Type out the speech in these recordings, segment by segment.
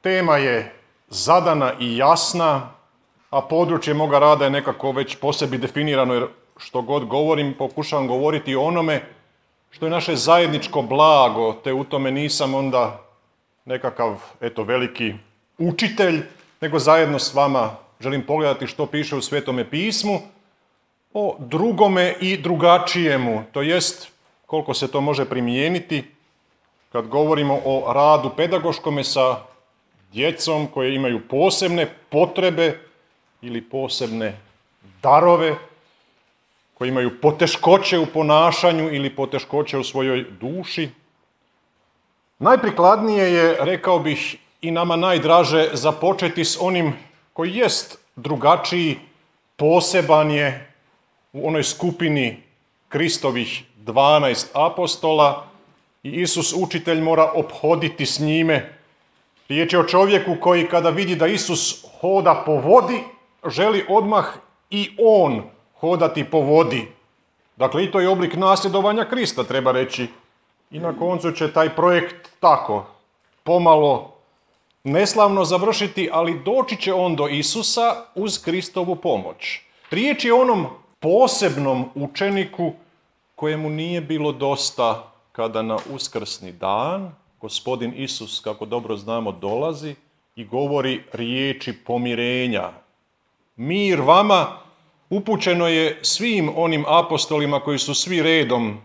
Tema je zadana i jasna, a područje moga rada je nekako već po sebi definirano, jer što god govorim, pokušavam govoriti o onome što je naše zajedničko blago, te u tome nisam onda nekakav, veliki učitelj, nego zajedno s vama želim pogledati što piše u Svetome pismu o drugome i drugačijemu, to jest koliko se to može primijeniti kad govorimo o radu pedagoškome sa djecom koje imaju posebne potrebe ili posebne darove, koji imaju poteškoće u ponašanju ili poteškoće u svojoj duši. Najprikladnije je, rekao bih, i nama najdraže započeti s onim koji jest drugačiji, poseban je u onoj skupini Kristovih 12 apostola i Isus učitelj mora ophoditi s njime. Riječ je o čovjeku koji kada vidi da Isus hoda po vodi, želi odmah i on hodati po vodi. Dakle, i to je oblik nasljedovanja Krista, treba reći. I na koncu će taj projekt tako, pomalo, neslavno završiti, ali doći će on do Isusa uz Kristovu pomoć. Riječ je o onom posebnom učeniku kojemu nije bilo dosta kada na uskrsni dan Gospodin Isus, kako dobro znamo, dolazi i govori riječi pomirenja. Mir vama upućeno je svim onim apostolima koji su svi redom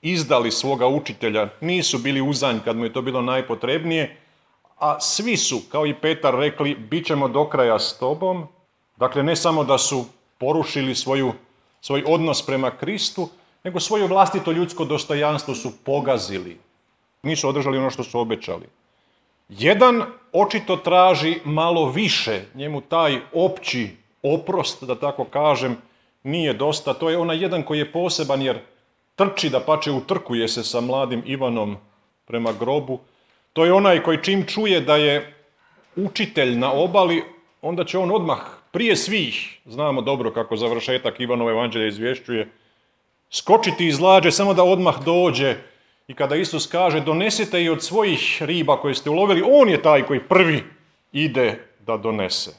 izdali svoga učitelja. Nisu bili uzanj kad mu je to bilo najpotrebnije, a svi su, kao i Petar, rekli bit ćemo do kraja s tobom. Dakle, ne samo da su porušili svoj odnos prema Kristu, nego svoje vlastito ljudsko dostojanstvo su pogazili. Nisu održali ono što su obećali. Jedan očito traži malo više, njemu taj opći oprost, da tako kažem, nije dosta. To je onaj jedan koji je poseban jer trči, dapače utrkuje se sa mladim Ivanom prema grobu. To je onaj koji čim čuje da je učitelj na obali, onda će on odmah prije svih, znamo dobro kako završetak Ivanova evanđelja izvješćuje, skočiti iz lađe samo da odmah dođe. I kada Isus kaže donesite i od svojih riba koje ste ulovili, on je taj koji prvi ide da donese.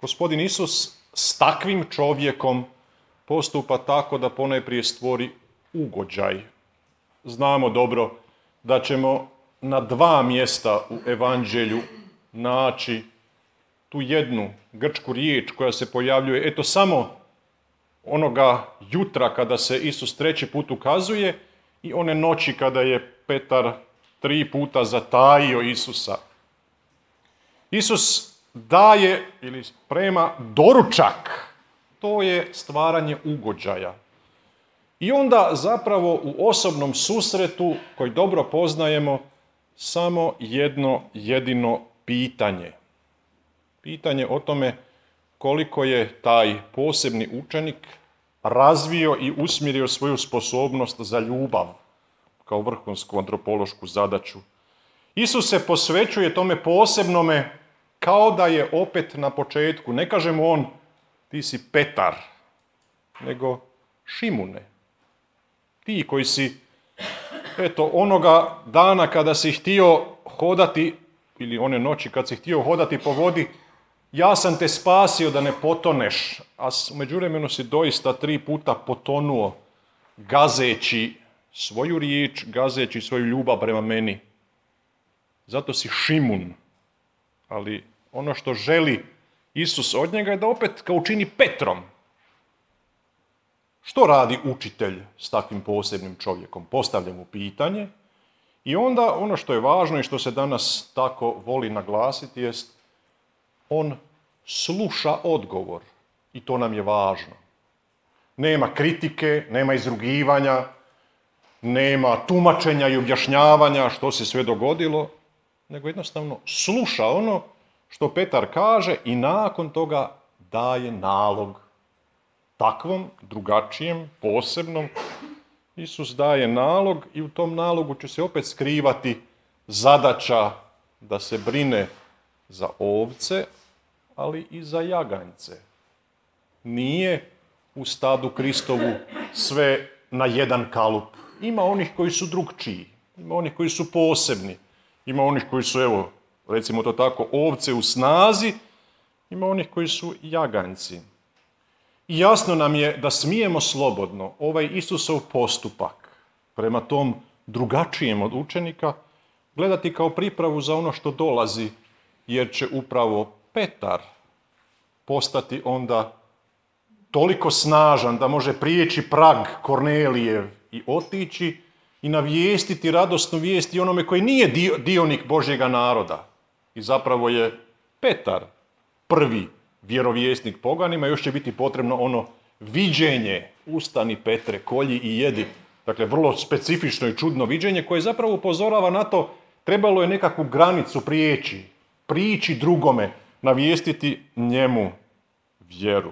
Gospodin Isus s takvim čovjekom postupa tako da ponajprije stvori ugođaj. Znamo dobro da ćemo na 2 mjesta u evanđelju naći tu jednu grčku riječ koja se pojavljuje, samo onoga jutra kada se Isus 3. put ukazuje i one noći kada je Petar 3 puta zatajio Isusa. Isus daje ili sprema doručak. To je stvaranje ugođaja. I onda zapravo u osobnom susretu, koji dobro poznajemo, samo jedno jedino pitanje. Pitanje o tome koliko je taj posebni učenik razvio i usmjerio svoju sposobnost za ljubav kao vrhunsku antropološku zadaću. Isus se posvećuje tome posebnome kao da je opet na početku. Ne kaže mu on ti si Petar, nego Šimune. Ti koji si, onoga dana kada si htio hodati, ili one noći kad si htio hodati po vodi, ja sam te spasio da ne potoneš, a u međuvremenu si doista 3 puta potonuo, gazeći svoju riječ, gazeći svoju ljubav prema meni. Zato si Šimun. Ali ono što želi Isus od njega je da opet ga učini Petrom. Što radi učitelj s takvim posebnim čovjekom? Postavlja mu pitanje i onda ono što je važno i što se danas tako voli naglasiti jest on sluša odgovor i to nam je važno. Nema kritike, nema izrugivanja, nema tumačenja i objašnjavanja što se sve dogodilo, nego jednostavno sluša ono što Petar kaže i nakon toga daje nalog. Takvom, drugačijem, posebnom, Isus daje nalog i u tom nalogu će se opet skrivati zadaća da se brine za ovce, ali i za jaganjce. Nije u stadu Kristovu sve na jedan kalup. Ima onih koji su drugčiji, ima onih koji su posebni, ima onih koji su, recimo to tako, ovce u snazi, ima onih koji su jaganjci. I jasno nam je da smijemo slobodno ovaj Isusov postupak prema tom drugačijem od učenika gledati kao pripravu za ono što dolazi, jer će upravo Petar postati onda toliko snažan da može prijeći prag Kornelijev i otići i navijestiti radosnu vijest i onome koji nije dionik Božjega naroda. I zapravo je Petar prvi vjerovjesnik poganima, još će biti potrebno ono viđenje, ustani Petre, kolji i jedi. Dakle, vrlo specifično i čudno viđenje koje zapravo upozorava na to, trebalo je nekakvu granicu prići drugome, navijestiti njemu vjeru.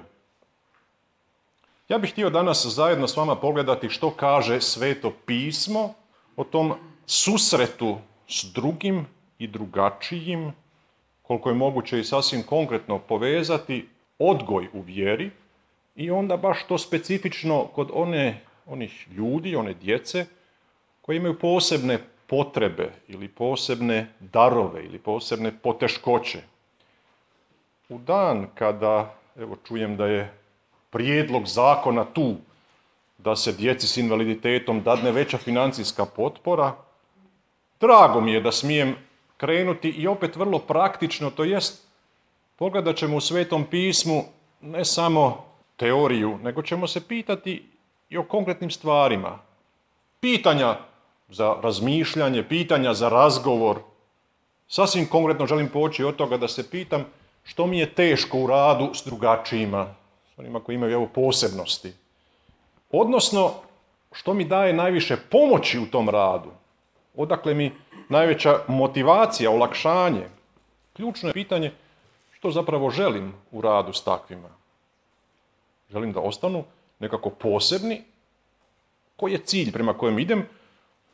Ja bih htio danas zajedno s vama pogledati što kaže Sveto pismo o tom susretu s drugim i drugačijim, koliko je moguće i sasvim konkretno povezati odgoj u vjeri i onda baš to specifično kod onih ljudi, one djece koji imaju posebne potrebe ili posebne darove ili posebne poteškoće. U dan kada, evo čujem da je prijedlog zakona tu da se djeci s invaliditetom dadne veća financijska potpora, drago mi je da smijem krenuti i opet vrlo praktično, to jest pogledat ćemo u Svetom pismu ne samo teoriju, nego ćemo se pitati i o konkretnim stvarima. Pitanja za razmišljanje, pitanja za razgovor. Sasvim konkretno želim poći od toga da se pitam što mi je teško u radu s drugačijima, s onima koji imaju posebnosti. Odnosno, što mi daje najviše pomoći u tom radu. Odakle mi najveća motivacija, olakšanje. Ključno je pitanje što zapravo želim u radu s takvima. Želim da ostanu nekako posebni, koji je cilj prema kojem idem,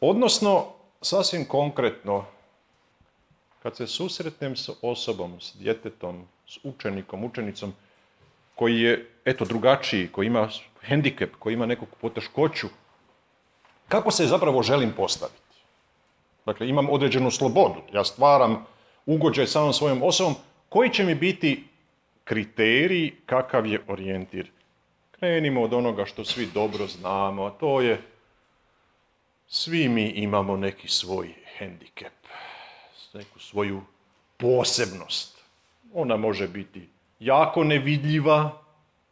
odnosno, sasvim konkretno, kad se susretnem s osobom, s djetetom, s učenikom, učenicom, koji je, drugačiji, koji ima hendikep, koji ima neku poteškoću, kako se zapravo želim postaviti? Dakle, imam određenu slobodu, ja stvaram ugođaj samom svojom osobom, koji će mi biti kriterij, kakav je orijentir? Krenimo od onoga što svi dobro znamo, a to je svi mi imamo neki svoj hendikep, neku svoju posebnost. Ona može biti jako nevidljiva,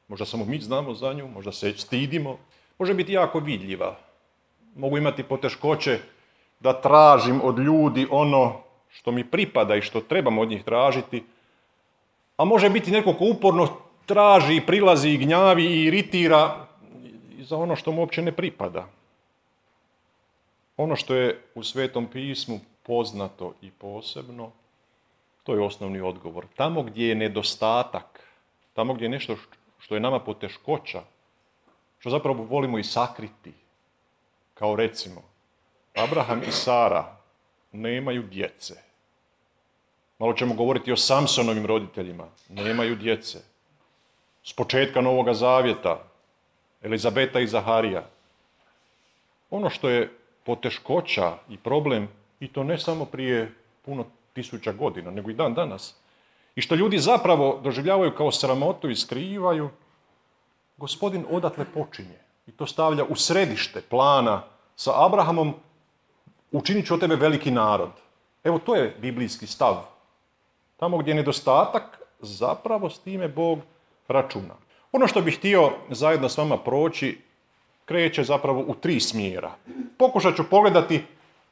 možda samo mi znamo za nju, možda se stidimo, može biti jako vidljiva. Mogu imati poteškoće da tražim od ljudi ono što mi pripada i što trebam od njih tražiti, a može biti neko ko uporno traži, prilazi i gnjavi i iritira za ono što mu uopće ne pripada. Ono što je u Svetom pismu poznato i posebno, to je osnovni odgovor. Tamo gdje je nedostatak, tamo gdje je nešto što je nama poteškoća, što zapravo volimo i sakriti, kao recimo, Abraham i Sara nemaju djece. Malo ćemo govoriti o Samsonovim roditeljima, nemaju djece. S početka Novoga Zavjeta, Elizabeta i Zaharija. Ono što je poteškoća i problem, i to ne samo prije puno tisuća godina, nego i dan danas, i što ljudi zapravo doživljavaju kao sramotu i skrivaju, Gospodin odatle počinje i to stavlja u središte plana sa Abrahamom, učinit ću od tebe veliki narod. Evo, to je biblijski stav. Tamo gdje je nedostatak, zapravo s time Bog računa. Ono što bih htio zajedno s vama proći, kreće zapravo u 3 smjera. Pokušat ću pogledati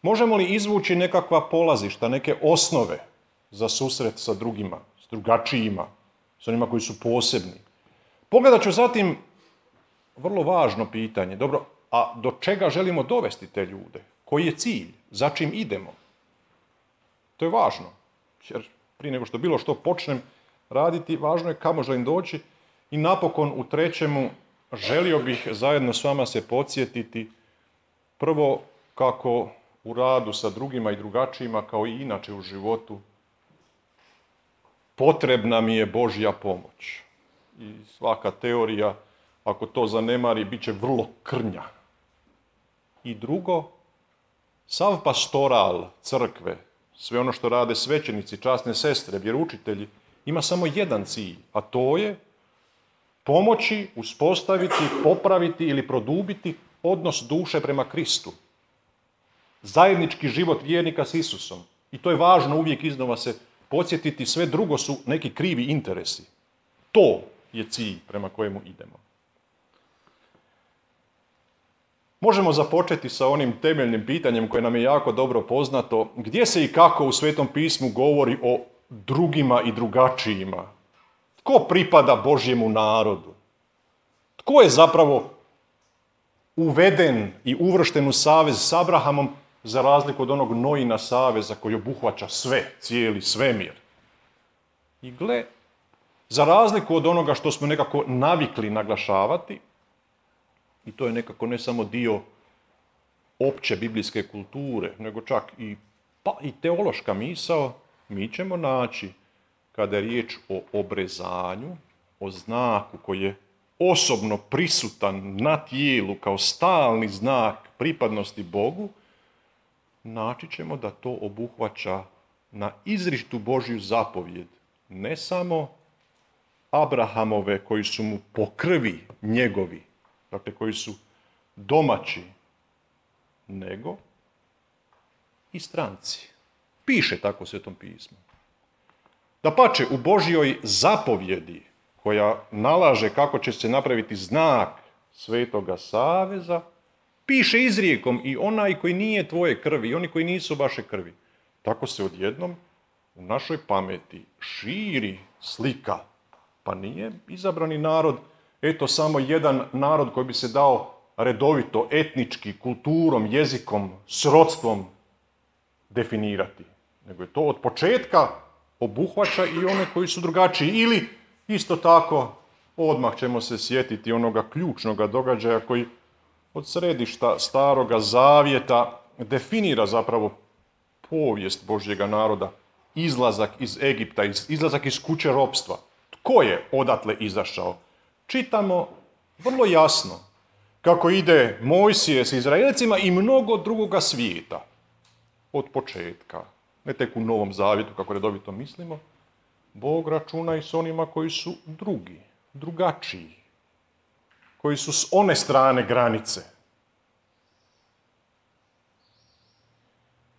možemo li izvući nekakva polazišta, neke osnove za susret sa drugima, s drugačijima, s onima koji su posebni. Pogledat ću zatim vrlo važno pitanje. Dobro, a do čega želimo dovesti te ljude? Koji je cilj? Za čim idemo? To je važno. Jer prije nego što bilo što počnem raditi, važno je kamo želim doći. I napokon u 3. želio bih zajedno s vama se podsjetiti prvo kako u radu sa drugima i drugačijima, kao i inače u životu, potrebna mi je Božja pomoć. I svaka teorija, ako to zanemari, bit će vrlo krnja. I drugo, sav pastoral crkve, sve ono što rade svećenici, časne sestre, vjeroučitelji, ima samo jedan cilj, a to je pomoći, uspostaviti, popraviti ili produbiti odnos duše prema Kristu. Zajednički život vjernika s Isusom. I to je važno uvijek iznova se podsjetiti, sve drugo su neki krivi interesi. To je cilj prema kojemu idemo. Možemo započeti sa onim temeljnim pitanjem koje nam je jako dobro poznato. Gdje se i kako u Svetom pismu govori o drugima i drugačijima? Tko pripada Božjemu narodu? Tko je zapravo uveden i uvršten u savez s Abrahamom za razliku od onog Noina saveza koji obuhvaća sve, cijeli svemir? I gle, za razliku od onoga što smo nekako navikli naglašavati, i to je nekako ne samo dio opće biblijske kulture, nego čak i teološka misao, mi ćemo naći, kada je riječ o obrezanju, o znaku koji je osobno prisutan na tijelu kao stalni znak pripadnosti Bogu, naći ćemo da to obuhvaća na izričitu Božju zapovjed, ne samo Abrahamove koji su mu po krvi njegovi, dakle koji su domaći, nego i stranci. Piše tako u Svetom pismu. Dapače, u Božjoj zapovjedi koja nalaže kako će se napraviti znak Svetoga saveza, piše izrijekom i onaj koji nije tvoje krvi, i oni koji nisu vaše krvi. Tako se odjednom u našoj pameti širi slika. Pa nije izabrani narod, eto samo jedan narod koji bi se dao redovito, etnički, kulturom, jezikom, srodstvom definirati. Nego je to od početka obuhvaća i one koji su drugačiji. Ili isto tako, odmah ćemo se sjetiti onoga ključnoga događaja koji od središta Staroga Zavjeta definira zapravo povijest Božjega naroda, izlazak iz Egipta, izlazak iz kuće ropstva. Tko je odatle izašao? Čitamo vrlo jasno kako ide Mojsije s Izraelcima i mnogo drugoga svijeta od početka. Ne tek u Novom Zavjetu, kako redovito mislimo. Bog računa i s onima koji su drugi, drugačiji, koji su s one strane granice.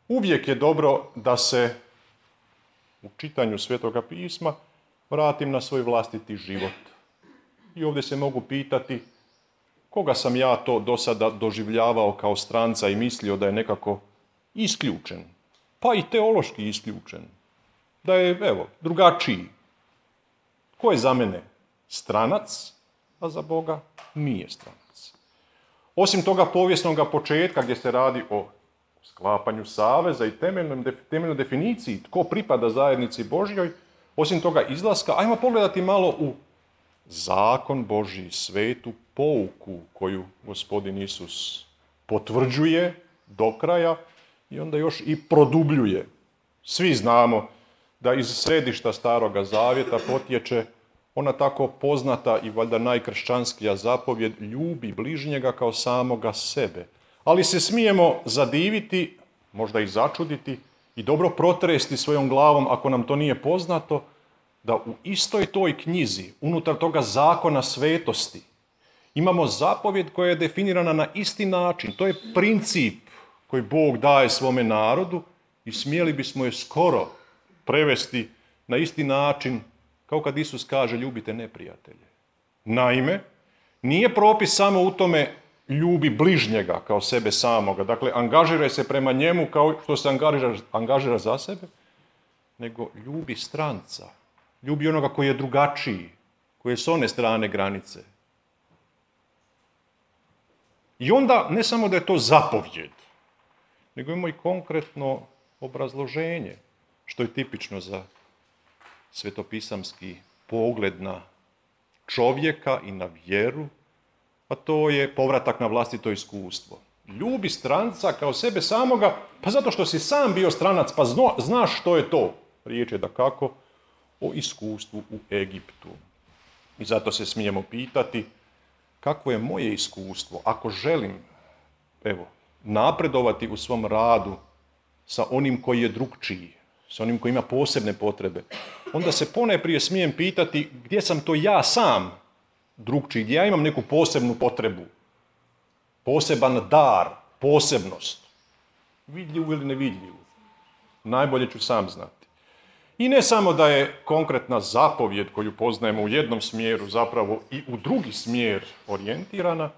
Uvijek je dobro da se u čitanju Svetoga pisma vratim na svoj vlastiti život. I ovdje se mogu pitati koga sam ja to do sada doživljavao kao stranca i mislio da je nekako isključen, pa i teološki isključen, da je, drugačiji. Ko je za mene stranac, a za Boga nije stranac. Osim toga povijesnog početka gdje se radi o sklapanju saveza i temeljnoj definiciji tko pripada zajednici Božjoj, osim toga izlaska, ajmo pogledati malo u zakon Božji, svetu pouku koju Gospodin Isus potvrđuje do kraja i onda još i produbljuje. Svi znamo da iz središta Staroga Zavjeta potječe ona tako poznata i valjda najkršćanskija zapovjed ljubi bližnjega kao samoga sebe. Ali se smijemo zadiviti, možda i začuditi i dobro protresti svojom glavom ako nam to nije poznato, da u istoj toj knjizi, unutar toga zakona svetosti, imamo zapovjed koja je definirana na isti način. To je princip koji Bog daje svome narodu i smjeli bismo je skoro prevesti na isti način kao kad Isus kaže ljubite neprijatelje. Naime, nije propis samo u tome ljubi bližnjega kao sebe samoga, dakle angažiraj se prema njemu kao što se angažira za sebe, nego ljubi stranca, ljubi onoga koji je drugačiji, koji je s one strane granice. I onda ne samo da je to zapovjed, nego imamo i konkretno obrazloženje, što je tipično za svetopisamski pogled na čovjeka i na vjeru, a to je povratak na vlastito iskustvo. Ljubi stranca kao sebe samoga, pa zato što si sam bio stranac, pa znaš što je to. Riječ je dakako o iskustvu u Egiptu. I zato se smijemo pitati kakvo je moje iskustvo ako želim napredovati u svom radu sa onim koji je drukčiji, sa onim koji ima posebne potrebe, onda se ponajprije smijem pitati gdje sam to ja sam drukčiji, gdje ja imam neku posebnu potrebu, poseban dar, posebnost, vidljivu ili nevidljivu. Najbolje ću sam znati. I ne samo da je konkretna zapovjed koju poznajemo u jednom smjeru zapravo i u drugi smjer orijentirana,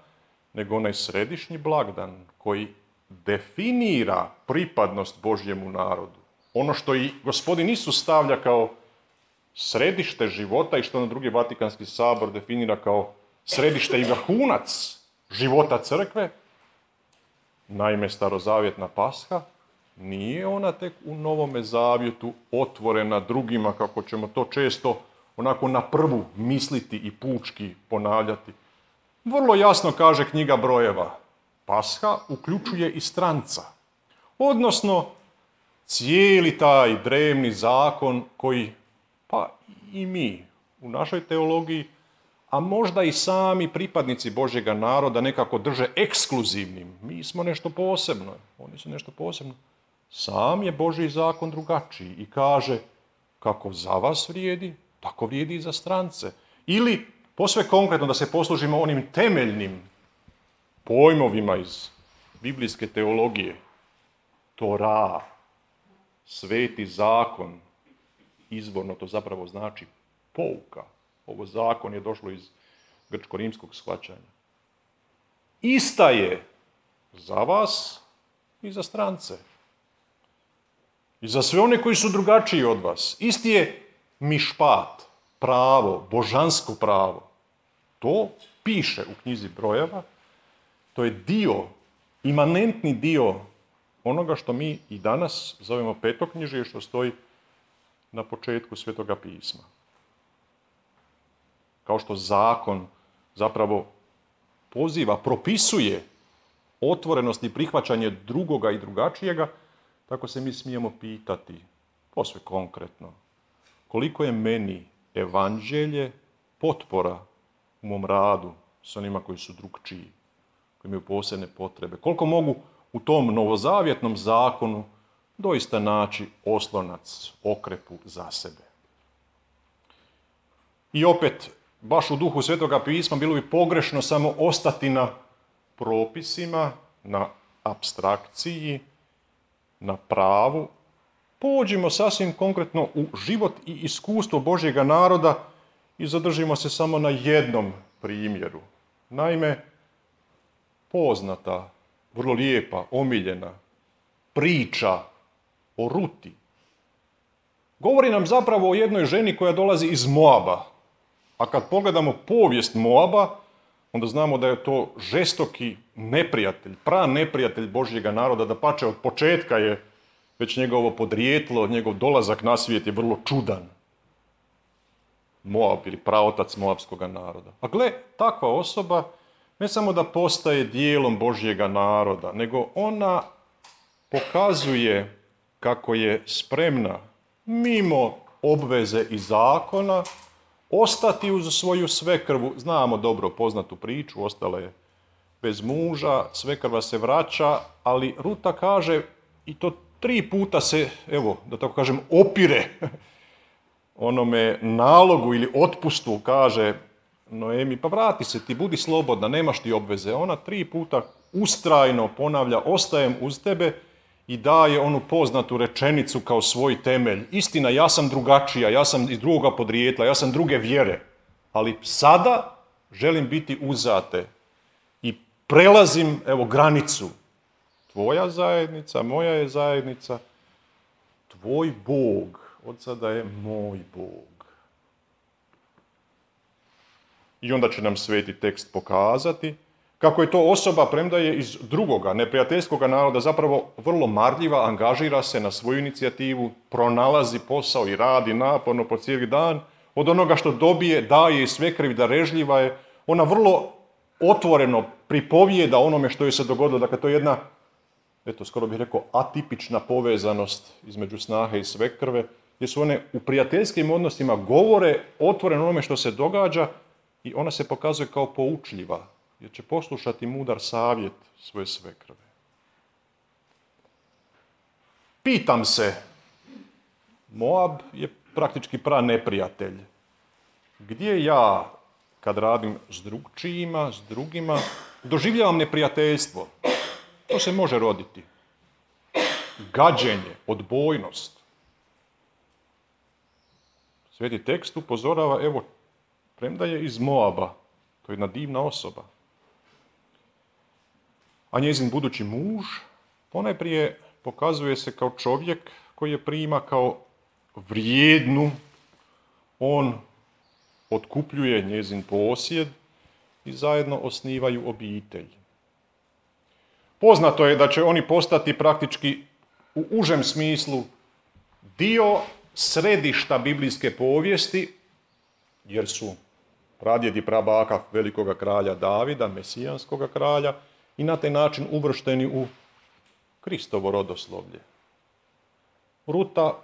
nego onaj središnji blagdan koji definira pripadnost Božjemu narodu. Ono što i Gospodin Isus stavlja kao središte života i što na drugi Vatikanski sabor definira kao središte i vrhunac života crkve, naime starozavjetna Pasha, nije ona tek u Novome zavjetu otvorena drugima, kako ćemo to često onako na prvu misliti i pučki ponavljati. Vrlo jasno kaže knjiga Brojeva, Pasha uključuje i stranca, odnosno cijeli taj drevni zakon koji, pa i mi u našoj teologiji, a možda i sami pripadnici Božjega naroda nekako drže ekskluzivnim. Mi smo nešto posebno, oni su nešto posebno. Sam je Božji zakon drugačiji i kaže kako za vas vrijedi, tako vrijedi i za strance. Ili, posve konkretno da se poslužimo onim temeljnim pojmovima iz biblijske teologije, Tora, sveti zakon, izvorno to zapravo znači pouka. Ovo zakon je došlo iz grčko-rimskog shvaćanja. Ista je za vas i za strance. I za sve one koji su drugačiji od vas. Isti je mišpat, pravo, božansko pravo. To piše u knjizi Brojeva. To je dio, imanentni dio onoga što mi i danas zovemo petoknjižje, što stoji na početku Svetoga pisma. Kao što zakon zapravo poziva, propisuje otvorenost i prihvaćanje drugoga i drugačijega, tako se mi smijemo pitati, posve konkretno, koliko je meni evanđelje potpora u mom radu s onima koji su drukčiji, koji imaju posebne potrebe. Koliko mogu u tom novozavjetnom zakonu doista naći oslonac, okrepu za sebe. I opet, baš u duhu Svetoga pisma, bilo bi pogrešno samo ostati na propisima, na apstrakciji, na pravu. Pođimo sasvim konkretno u život i iskustvo Božjega naroda i zadržimo se samo na jednom primjeru. Naime, poznata, vrlo lijepa, omiljena priča o Ruti govori nam zapravo o jednoj ženi koja dolazi iz Moaba. A kad pogledamo povijest Moaba, onda znamo da je to žestoki neprijatelj, neprijatelj Božjega naroda, dapače od početka je već njegovo podrijetlo, njegov dolazak na svijet je vrlo čudan. Moab ili praotac moabskog naroda. A gle, takva osoba ne samo da postaje dijelom Božjega naroda, nego ona pokazuje kako je spremna mimo obveze i zakona ostati uz svoju svekrvu. Znamo dobro poznatu priču, ostala je bez muža, svekrva se vraća, ali Ruta kaže, i to 3 puta se, evo, da tako kažem, opire onome nalogu ili otpustu, kaže Noemi, pa vrati se ti, budi slobodna, nemaš ti obveze. Ona 3 puta ustrajno ponavlja, ostajem uz tebe, i daje onu poznatu rečenicu kao svoj temelj. Istina, ja sam drugačija, ja sam iz drugoga podrijetla, ja sam druge vjere, ali sada želim biti uzate i prelazim, evo, granicu. Tvoja zajednica, moja je zajednica, tvoj Bog od sada je moj Bog. I onda će nam sveti tekst pokazati kako je to osoba, premda je iz drugoga, neprijateljskoga naroda, zapravo vrlo marljiva, angažira se na svoju inicijativu, pronalazi posao i radi naporno po cijeli dan. Od onoga što dobije, daje i svekrvi, darežljiva je. Ona vrlo otvoreno pripovijeda onome što joj se dogodilo. Dakle, to je jedna, eto, skoro bih rekao, atipična povezanost između snahe i svekrve, gdje su one u prijateljskim odnosima govore otvoreno onome što se događa i ona se pokazuje kao poučljiva, jer će poslušati mudar savjet svoje svekrve. Pitam se, Moab je praktički praneprijatelj. Gdje ja, kad radim s drugčijima, s drugima, doživljavam neprijateljstvo? To se može roditi. Gađenje, odbojnost. Sveti tekst upozorava, evo, premda je iz Moaba, to je jedna divna osoba, a njezin budući muž ponajprije pokazuje se kao čovjek koji je prima kao vrijednu, on otkupljuje njezin posjed i zajedno osnivaju obitelj. Poznato je da će oni postati praktički u užem smislu dio središta biblijske povijesti, jer su pradjed i prabaka velikoga kralja Davida, mesijanskoga kralja, i na taj način uvršteni u Kristovo rodoslovlje. Ruta,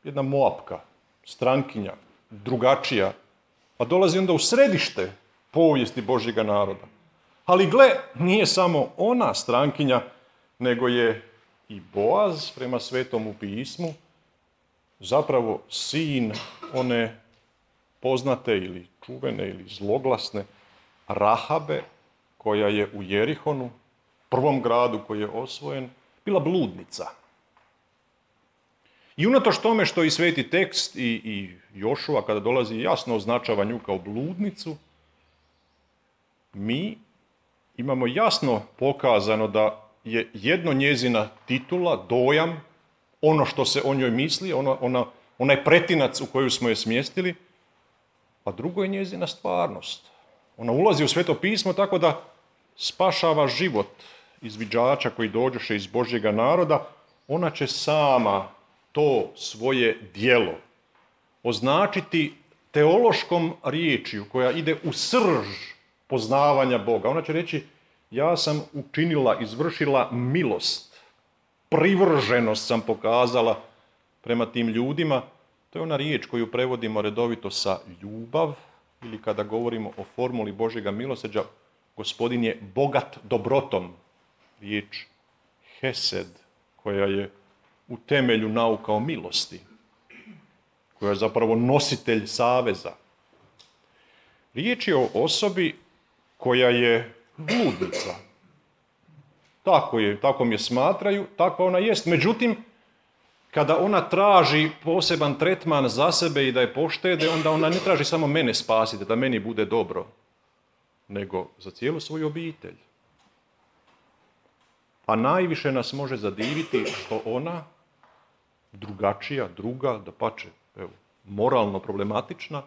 jedna Moapka, strankinja, drugačija, a dolazi onda u središte povijesti Božjega naroda. Ali gle, nije samo ona strankinja, nego je i Boaz, prema Svetomu pismu, zapravo sin one poznate ili čuvene ili zloglasne Rahabe, koja je u Jerihonu, prvom gradu koji je osvojen, bila bludnica. I unatoč tome što i sveti tekst i Jošua, kada dolazi, jasno označava nju kao bludnicu, mi imamo jasno pokazano da je jedno njezina titula, dojam, ono što se o njoj misli, onaj pretinac u koju smo je smjestili, a drugo je njezina stvarnost. Ona ulazi u Sveto pismo tako da spašava život izviđača koji dođoše iz Božjega naroda. Ona će sama to svoje djelo označiti teološkom riječju koja ide u srž poznavanja Boga. Ona će reći, ja sam učinila, izvršila milost, privrženost sam pokazala prema tim ljudima. To je ona riječ koju prevodimo redovito sa ljubav, ili kada govorimo o formuli Božjega milosrđa, Gospodin je bogat dobrotom. Riječ hesed, koja je u temelju nauka o milosti, koja je zapravo nositelj saveza. Riječ je o osobi koja je bludnica. Tako je smatraju, tako ona jest. Međutim, kada ona traži poseban tretman za sebe i da je poštede, onda ona ne traži samo mene spasiti, da meni bude dobro, nego za cijelu svoju obitelj. A najviše nas može zadiviti što ona, drugačija, druga, dapače, moralno problematična,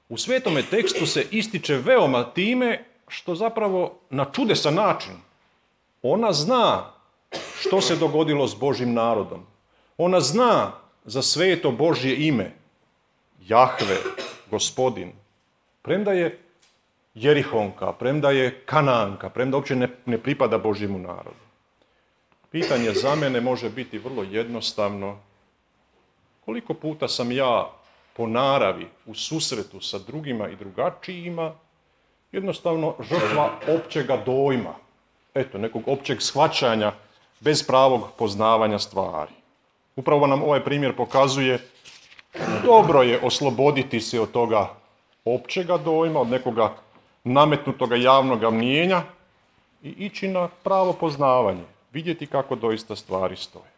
u Svetome tekstu se ističe veoma time što zapravo na čudesan način ona zna što se dogodilo s Božjim narodom. Ona zna za sveto Božje ime, Jahve, Gospodin, premda je Jerihonka, premda je Kananka, premda uopće ne pripada Božjemu narodu. Pitanje za mene može biti vrlo jednostavno. Koliko puta sam ja po naravi u susretu sa drugima i drugačijima jednostavno žrtva općega dojma, nekog općeg shvaćanja bez pravog poznavanja stvari. Upravo nam ovaj primjer pokazuje, dobro je osloboditi se od toga općega dojma, od nekoga nametnutoga javnoga mnijenja i ići na pravo poznavanje, vidjeti kako doista stvari stoje.